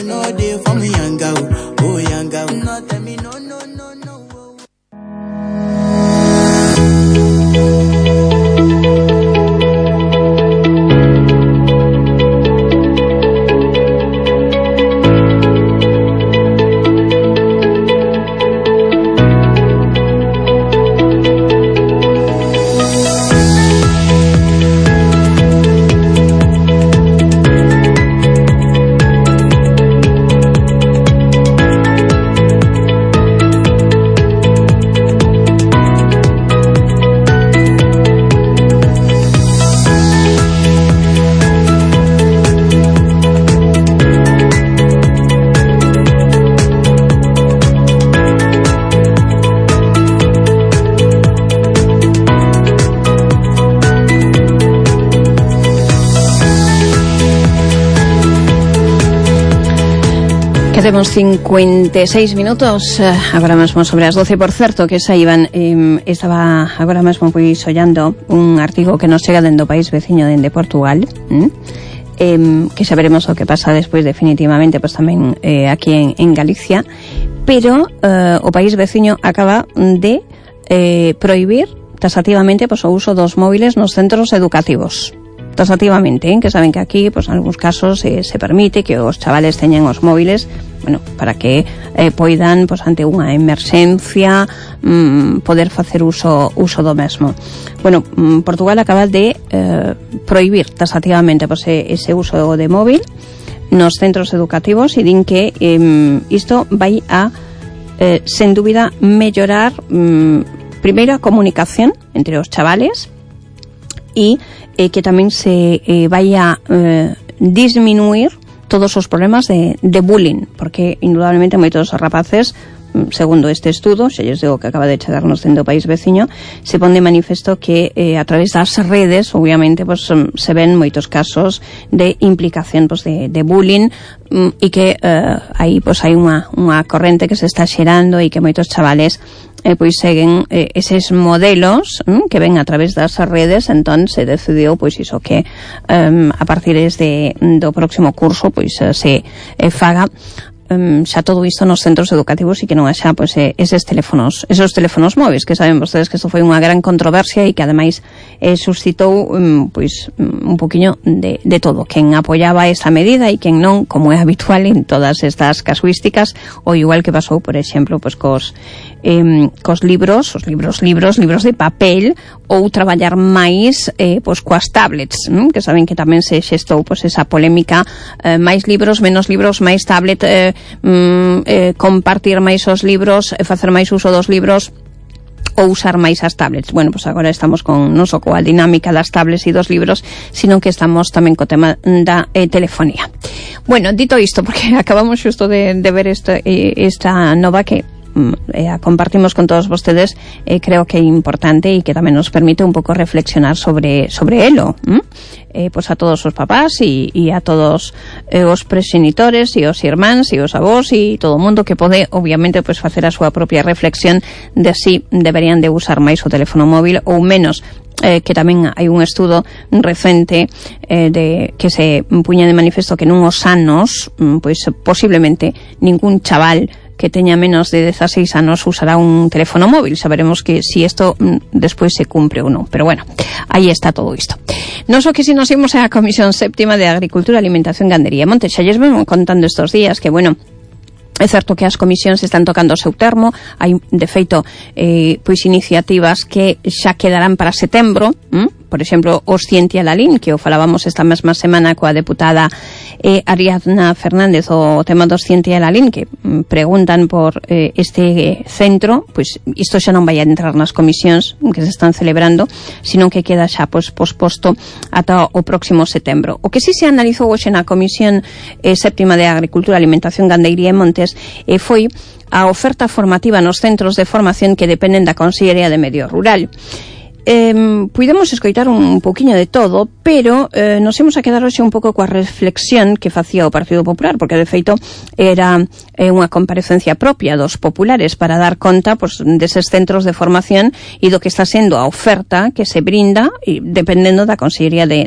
Temos 56 minutos agora mesmo sobre as 12. Por certo, que saíban estaba agora mesmo pois ollando un artigo que nos chega dende o país veciño dende Portugal, que xa veremos o que pasa despois definitivamente pois tamén aquí en Galicia, pero o país veciño acaba de prohibir taxativamente pois o uso dos móviles nos centros educativos. Taxativamente, que saben que aquí, pues, en algúns casos se permite que os chavales teñan os móviles, bueno, para que poidan, pues, ante unha emerxencia, poder facer uso do mesmo. Bueno, Portugal acaba de prohibir taxativamente, pues, ese uso de móvil nos centros educativos e din que isto vai a, sen dúbida, mellorar primeiro a comunicación entre os chavales e que tamén se vai a disminuir todos os problemas de bullying, porque indudablemente moitos rapaces, segundo este estudo, xa lles digo que acaba de chegarnos dentro do país veciño, se pon de manifesto que a través das redes, obviamente, pues, se ven moitos casos de implicación, pues, de bullying, e que aí, pues, hai unha corrente que se está xerando e que moitos chavales pois seguen eses modelos que ven a través das redes. Entón se decidiu pois iso, que a partir do próximo curso pois se faga xa todo isto nos centros educativos e que non haxa pois esos teléfonos móviles, que saben vostedes que isto foi unha gran controversia e que ademais suscitou pois un poquinho de todo, quen apoiaba esta medida e quen non, como é habitual en todas estas casuísticas, ou igual que pasou, por exemplo, pois cos libros de papel, ou traballar máis pois coas tablets, que saben que tamén se xestou pois esa polémica, máis libros, menos libros, máis tablet, compartir máis os libros, facer máis uso dos libros ou usar máis as tablets. Bueno, pois agora estamos con non só coa dinámica das tablets e dos libros, sino que estamos tamén co tema da telefonía. Bueno, dito isto, porque acabamos xusto de ver esta nova que a compartimos con todos vostedes, creo que é importante e que tamén nos permite un pouco reflexionar sobre elo, pois a todos os papás e a todos os proxenitores e os irmáns e os avós e todo o mundo que pode, obviamente, pois facer a súa propia reflexión de si deberían de usar máis o teléfono móvil ou menos, que tamén hai un estudo recente que se puña de manifesto que nuns anos pois posiblemente ningún chaval que teña menos de 16 anos usará un teléfono móvil. Saberemos que si isto despois se cumpre ou non. Pero bueno, aí está todo isto. Nos o que si nos imos a Comisión Séptima de Agricultura, Alimentación, Gandería e Monte. Xa lles vemos contando estos días que, bueno, é certo que as comisións están tocando o seu termo. Hai, de feito, pois iniciativas que xa quedarán para setembro, por exemplo, os Cientia Lalín, que o falábamos esta mesma semana coa deputada Ariadna Fernández, o tema dos Cientia Lalín, que preguntan por este centro. Pois isto xa non vai a entrar nas comisións que se están celebrando, sino que queda xa pois posposto ata o próximo setembro. O que si se analizou hoxe na Comisión Séptima de Agricultura, Alimentación, Gandería e Montes foi a oferta formativa nos centros de formación que dependen da Consellería de Medio Rural. Puidemos escoitar un poquinho de todo, pero nos imos a quedar hoxe un pouco coa reflexión que facía o Partido Popular, porque de feito era unha comparecencia propia dos populares para dar conta pois, deses centros de formación e do que está sendo a oferta que se brinda, e dependendo da Consellería de